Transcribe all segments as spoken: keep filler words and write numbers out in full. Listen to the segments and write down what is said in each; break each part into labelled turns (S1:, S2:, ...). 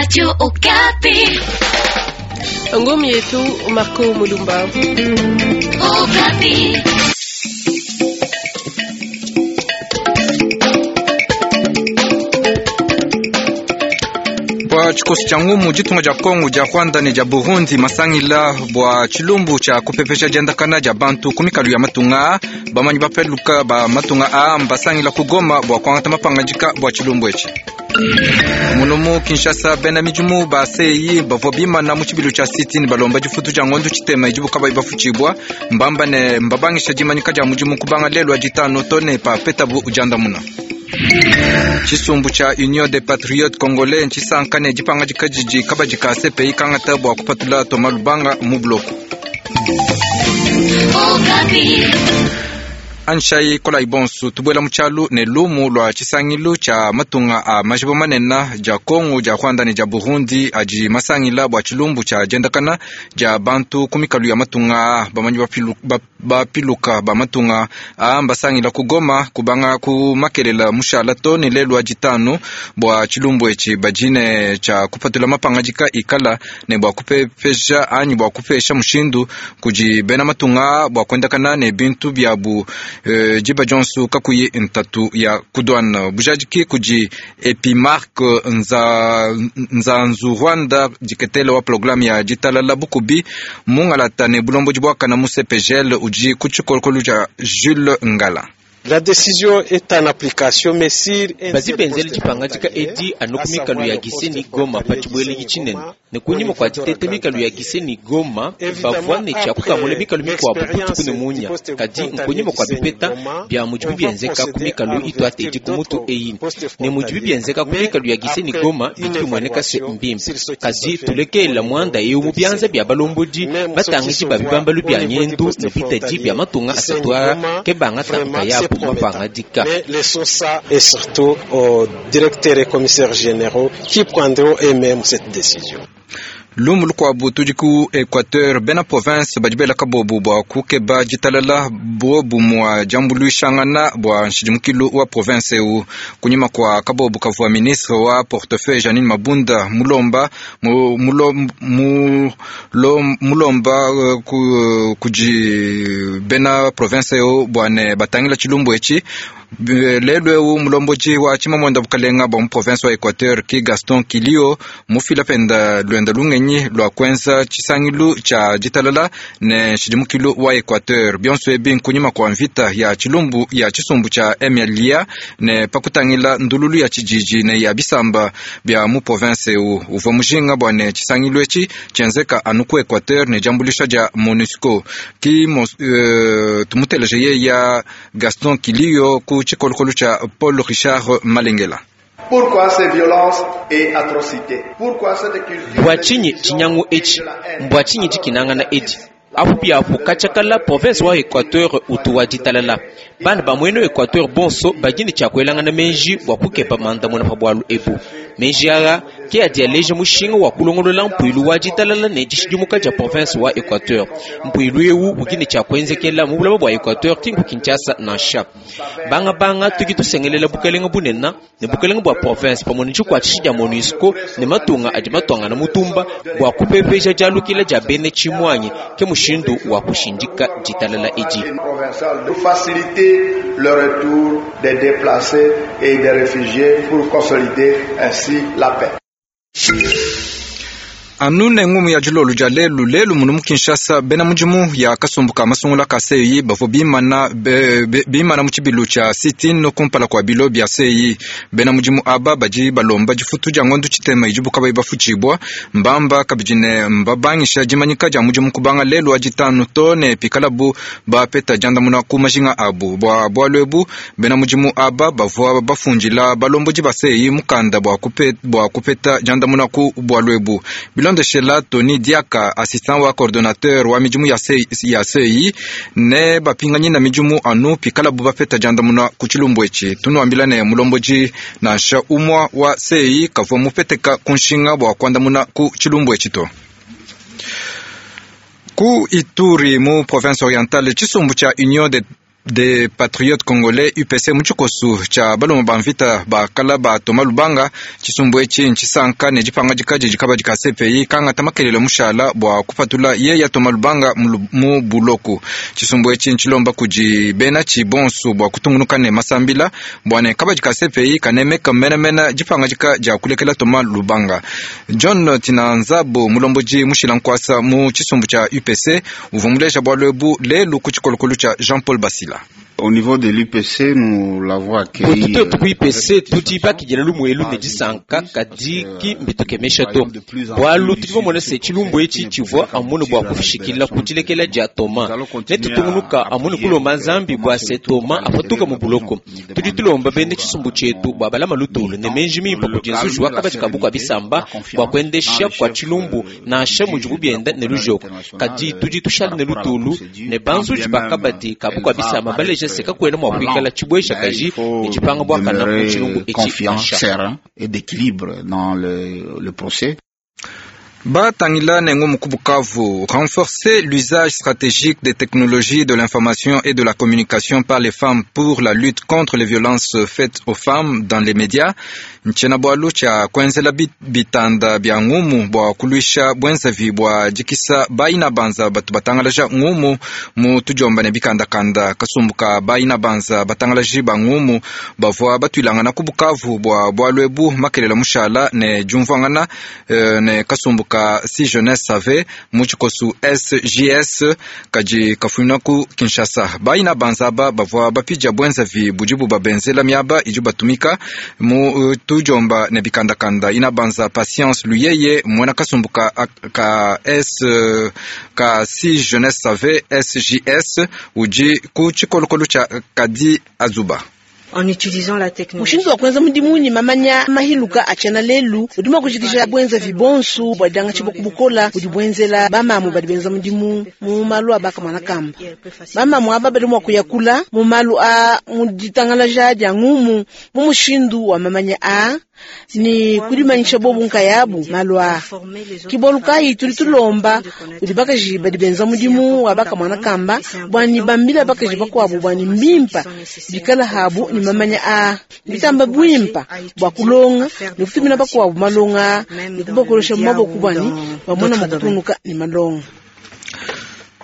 S1: Radio Okapi.
S2: Ngumi yetu Marco Mulumba.
S1: Okapi.
S3: Bua tshikoso tshia ngumu ditunga dia Kongo dia Rwanda ne dia Burundi masangila bua tshilumbu tshia kupepesha diendakana dia bantu ku mikalu ya matunga bamanyi bapeluka ba matunga a mbasangila ku Goma bua kuangata mapangadika bua tshilumbu etshi. Munomu Kinshasa bena midimu ba C I bavua bimana mu tshibilu tshia sit-in balomba difutu dia ngondo tshitema idibu kabayi bafutshibua mbamba ne mbabangisha dimanyika dia mudimu kubanga lelu wa ditano to ne pa petabu diandamuna. Tshisumbu tshia Union des Patriotes Congolais ntshisanka ne dipangadika didi kabadi ka C P I kangata bua kupatula Thomas Lubanga mu bloku. Anshai kolai bonsu tubuela mu tshialu ne lumu lua tshisangilu tshia matunga a majiba manene dia Kongo dia Rwanda ne dia Burundi adi masangila bua tshilumbu tshia diendakana dia bantu ku mikalu ya matunga bamanyi bapiluka ba matunga a mbasangila ku Goma kubanga ku makelela mushala to ne lelu wa ditanu bua tshilumbu etshi badi ne tshia kupatula mapangadika ikala ne bua kupepesha anyi bua kupesha mushindu kudi bena matunga bua kuendakana ne bintu biabu diba dionso kakuyi ntatu ya kudwana bujadiki kudi Epimark nza nzanzu Rwanda diketele wa programme ya ditalala bukubi mungalata ne bulombo bwakana mu C P G L udi ku tshikolokolo tshia Jules Ngala.
S4: La décision est en application, mais si
S5: badi benzele dipangadika edi anu ku mikalu ya Gisenyi Goma pa tshibuele tshinene ne kunyima kua ditete mikalu ya Gisenyi Goma bavua ne tshia kukamula mikalu mikuabu butuku ne munya kadi nkunyima kua bipeta bia mudibi bienzeka ku mikalu ituatedi ku mutu eyi ne mudibi bienzeka ku mikalu ya Gisenyi Goma bidi bimueneka se mbimpe kadi tulekela muanda eu mu bianza bia balombodi batangidi ba bibambalu bia nyendu ne bitadi bia matunga asatu aa ke bangata nkayabu.
S4: Mais laissons ça et surtout aux directeurs et commissaires généraux qui prendront eux-mêmes cette décision.
S3: Lumu lukuabu tudi ku Equateur bena province badi bela kabobu bua kukeba ditalala bobu mua diambuluishangana bua nshidimukilu wa province eu kunyima kua kabobu kavua ministre wa portefeuille Janine Mabunda mulomba mulomba mulomba kudi bena province eu bua ne batangila tshilumbu etshi. Lelu eu mulomboji wa tshimamwenda bukalenga bua mu province wa Equateur ki Gaston Kilio mufila penda luenda lungenyi lua kuenza tshisangilu tshia ditalala ne nshidimukilu wa Equateur bionso ebi nkunyima kua mvita ya tshilumbu ya tshisumbu tshia M L A ne pakutangila ndululu ya tshijiji ne ya bisamba bia mu province eu uvua mujinga bua ne tshisangilu etshi tshienzeka anu ku Equateur ne diambuluisha dia MONUSCO ki uh, tumuteleje ye ya Gaston Kilio ku tshikolokolo tshia Paul Richard Malengela.
S6: Pourquoi ces violences et atrocités? Pourquoi cette culture?
S5: Bua tshinyi tshinyangu etshi? Mbua tshinyi dikinangana edi? Apu biapu katshakala province wa Equateur utu wa ditalala. Bana ba mueno Equateur bonso badi ne tshia kuelangana menji bua kukepa mandamuna pa bualu ebu. Menji aa ke adi aleja mushinga wa kulongolola mpuilu wa ditalala ne dishidimuka dia province wa Equateur. Mpuilu eu udi ne tshia kuenzekela mu bulaba bua Equateur ki nku Kinshasa nansha. Banga banga tuki tusengelela bukalenga bunene ne bukalenga bua province pamue ne tshikuatshishi dia MONUSCO ne matunga adi matuangana mutumba bua kupepeja dialukila dia bene tshimuanyi ke mushindu wa kushindika ditalala edi.
S6: Faciliter le retour des déplacés et des réfugiés pour consolider ainsi la paix.
S3: Anu ne ngumu ya dilolo dia lelu lelu munu mu Kinshasa bena mudimu ya kasumbu ka masungula ka C I bavua bimana be, be, bimana mu tshibilu tshia sit-in kumpala kua bilo bia C I bena mudimu aba badi balomba difutu dia ngondo tshitema idibu kabayi bafutshibua mbamba kabidi ne mbabangisha dimanyika dia mudimu kubanga lelu wa ditanu to ne pikalabu bapeta diandamuna ku majinga abu bua bualu ebu bena mudimu aba bavua bafundila balombodi ba C I mukanda bua kupeta, bua kupeta diandamuna ku bualu ebu. Bilondeshela Tony Diaka, assistant wa coordonnateur wa midimu ya C I ne bapinganyi na midimu anu pikalabu bapeta diandamuna ku tshilumbu etshi. Tunuambila ne mulomboji nansha umwa wa C I kavua mupeteka ku nshinga bua kuandamuna ku tshilumbu etshi to. Ku Ituri mu province orientale tshisumbu tshia Union des des Patriotes Congolais U P C mu tshikosu tshia balongo ba mvita bakala ba Thomas Lubanga. Tshisumbu etshi ntshisanka ne dipangadika didi kabadi ka C P I kangata makelele mushala bua kupatula yeya Thomas Lubanga mu buloku. Tshisumbu etshi ntshilomba kudi bena tshibonso bua kutungunuka ne masambila bua ne kabadi ka C P I kanemeka menamena dipangadika dia kulekela Thomas Lubanga. John Tinanzabo mulomboji mushila nkwasa mu tshisumbu tshia U P C uvua muleja bualu ebu lelu ku tshikolokolo tshia Jean-Paul Basila.
S1: Au niveau de l'U P C, nous l'avons accueilli.
S5: Tutu ku U P C tudi bakidila lumuelu ne disanka kadi ki mbitukemesha to. Bualu tudi bamona se tshilumbu etshi tshivua amunu bua kushikila kudilekela dia Thomas. Ne tutungunuka amunu kulomba Nzambi bua se Thomas apatuka mu buloko. Tudi tulomba bene tshisumbu tshietu bua balama lutulu ne menji mimpe kudi nzuji wa kabadi kabu kua bisamba bua kuendesha kua tshilumbu nansha mudibu bienda ne lujoko. Kadi tudi tushala ne lutulu ne banzuji ba kabadi kabu kua bisamba baleja se kakwena mwa kuikala tshibwesha kaji ne tshipanga bua kana mu tshilumbu etshi nansha.
S1: Et d'équilibre dans le, le procès.
S3: Batangila nengo Bukavu, renforcer l'usage stratégique des technologies de l'information et de la communication par les femmes pour la lutte contre les violences faites aux femmes dans les médias. Nchena bwalu cha kwenzela bitanda bya ngumu bwa kulwisha bwenzavi bwa jikisa baina banza batu batangalaja ngumu mu tujomba ne bikandakanda kasumbuka baina banza batangalaji ba ngumu bavua batwilangana ku Bukavu bwa bwalwebu makelela mushala ne jumvangana euh, ne kasumbuka si jeunesse save mu tshikosu S J S kaji kafumina ku Kinshasa. Baina banza ba bavua bapija bwenzavi bujibu babenzela miaba iju batumika mu uh, tujomba ne bikandakanda. Ina banza Patience Luyeye mwana kasumbuka ka S ka si jeunesse save S J S uji ku tshikolokolo tsha Kadi Azuba.
S7: Mushindu wa kwenza mudimu ni mamanya mahiluka achana lelu udi mwa kushikisha bwenza vibonsu bwa danga chiboku bukola udi bwenzela bamamu badi benza mudimu mu malu abaka mwana kamba bamamu aba badi mwa kuyakula mu malu a muditangalaja dia ngumu mu mushindu wa mamanya a ni kudimanyisha bobu nkayabu malu a kiboluka tuli tulomba udi bakaji badi benza mudimu wa baka mwana kamba bwani bambila bakaji bakwabu bwani mbimpa bikala habu ni mamanya a bitamba bwimpa bwa kulonga ni kutumina bakwabu malonga ni kubakolosha maboko bwani bamona mukutunuka ni malonga.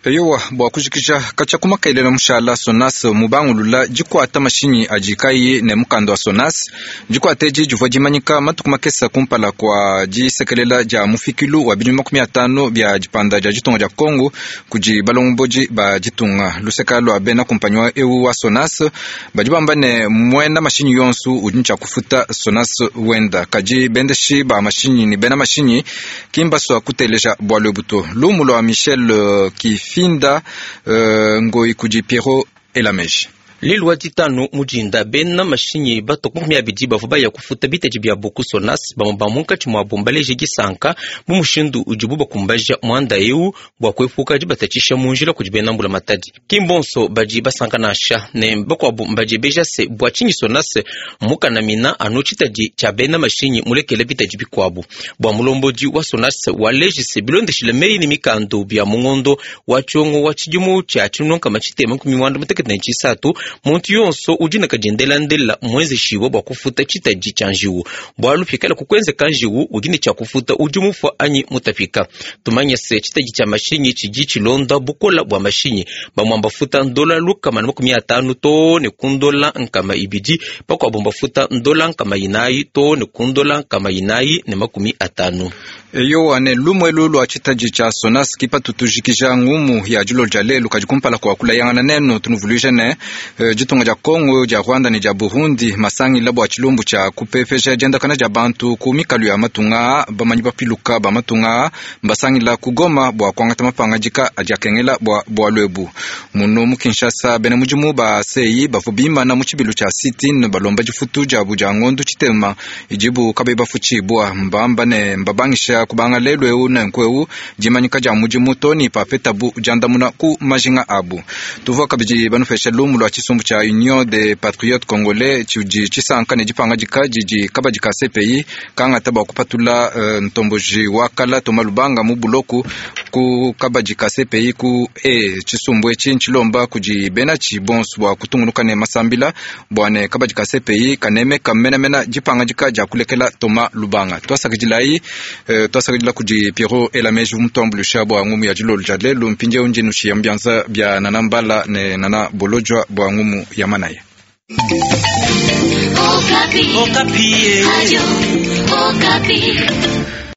S3: Eyowa bwa kujikija kacha kumakaelela mushala Sonas mubangulula jikwata mashinyi ajikai ne mukando wa Sonas jikwata eji jivua jimanyika matuku makesa kumpala kwa jisekelela ja mufikilu wa bilimu makumi atano bya jipanda ja jitunga ja Kongo kuji balongoboji ba jitunga luseka lwa bena kumpanywa ewu wa Sonas bajibamba ne mwena mashinyi yonsu udi ncha kufuta Sonas wenda kaji bendeshi ba mashinyi ni bena mashinyi kimbaswa kuteleja bwalwe buto lumu lwa Michel uh, Kifinda uh, ngoi kuji Piero Elameji.
S5: Lelu wa ditanu mujinda bena mashinyi batoku makumi abidi bavua baya kufuta bitaji bia buku Sonas bamwe ba munkatshi muabu mbaleje disanka mu mushindu udibu bakumbaja muanda eu bua kuepuka dibatatshisha mu njila kudi bena mbula matadi. Ki mbonso badi basanka nansha ne bakuabu mbadi beja se bua tshinyi Sonas mukanamina anu tshitadi tshia bena mashinyi mulekele bitaji bikuabu. Bua mulombodi wa Sonas waleji se bilondeshile meyi ne mikando bia mungondo wa tshiongo wa tshidimu tshia tshinonka tshitema makumi muanda mutekete ne tshisatu muntu yonso udi na kadiendelandela mwenzeshiwa bua kufuta tshitadi tshia njiwu bualu pikala kukwenzeka njiwu udi ne tshia kufuta udi mufua anyi mutapika. Tumanye se tshitadi tshia mashinyi tshidi tshilonda bukola bua mashinyi bamwe mbafuta ndola lukama na makumi atanu to ne kundola nkama ibidi bakuabu mbafuta ndola nkama inayi to ne kundola nkama inayi ne makumi atanu.
S3: Eyowa ne lumwelu lwa tshitadi tshia Sonas kipatu tujikija ngumu ya dilo dia lelu kadi kumpala kwa kulayangana nenu tunuvuluije ne jitunga dia Kongo dia Rwanda ne dia Burundi masangila bua tshilumbu tshia kupepesha diendakana dia bantu ku mikalu ya matunga bamanyi bapiluka ba matunga mbasangila ku Goma bua kuangata mapangadika adi akengela bua bualu muno mu Kinshasa bena mudimu ba C I bavua bimana mu tshibilu tshia sitin balomba difutu diabu dia ngondu tshitema idibu kabe bafutshibua mbamba ne mbabangisha kubanga lelu eu nenku eu dimanyika dia mudimu toni papetabu diandamuna ku majinga abu. Tuvua kabidi banupesha lumu lwa tshisumbu tshia Union des Patriotes Congolais tshidi tshisanka ne dipangadika didi kabadi ka C P I kangata bua kupatula uh, ntomboji wa kala Thomas Lubanga mu buloku Ku kabadi ka C P I ku e tshisumbu etshi ntshilomba kudi benatshi bonso bua kutungunuka ne masambila bua ne kabadi ka C P I kanemeka menamena dipangadika dia kulekela Thomas Lubanga. Twasakidilayi, eh, twasakidila kudi Pierrot Elameji mutuambulusha bua ngumu ya dilolo dia lelu. Mpindieu ndi nushiya mbianza bia Nana Mbala ne Nana Bolojwa bua ngumu ya manaya.
S8: Okapi. Okapi. Radio Okapi.